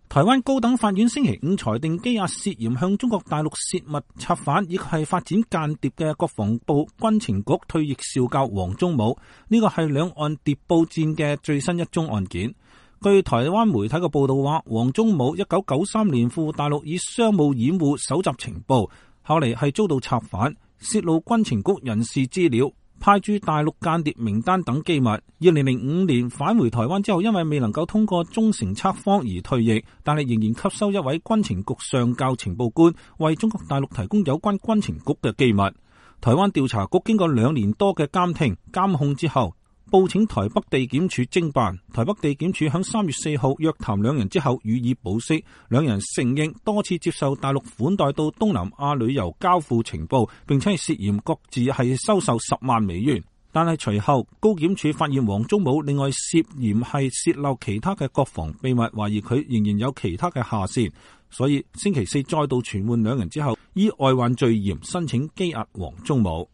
台灣高等法院星期五裁定羈押涉嫌向中國大陸洩密策反以及係發展間諜嘅國防部軍情局退役少校黃忠武，呢個係兩岸諜報戰嘅最新一宗案件。據台灣媒體嘅報道話，黃忠武1993年赴大陸以商務掩護搜集情報，後嚟係遭到策反，洩露軍情局人事資料，派駐大陸間諜名單等機密。2005年返回台灣之後，因為未能夠通過忠誠測謊而退役，但係仍然吸收一位軍情局上校情報官，為中國大陸提供有關軍情局嘅機密。台灣調查局經過2年多嘅監聽監控之後，報請台北地檢署偵辦。台北地檢署喺3月4號約談兩人之後予以保釋，兩人承認多次接受大陸款待到東南亞旅遊交付情報，並且係涉嫌各自係收受10萬美元。但係隨後高檢署發現黃忠武另外涉嫌係洩漏其他嘅國防秘密，懷疑佢仍然有其他嘅下線，所以星期四再度傳喚兩人之後，依外患罪嫌申請羈押黃忠武。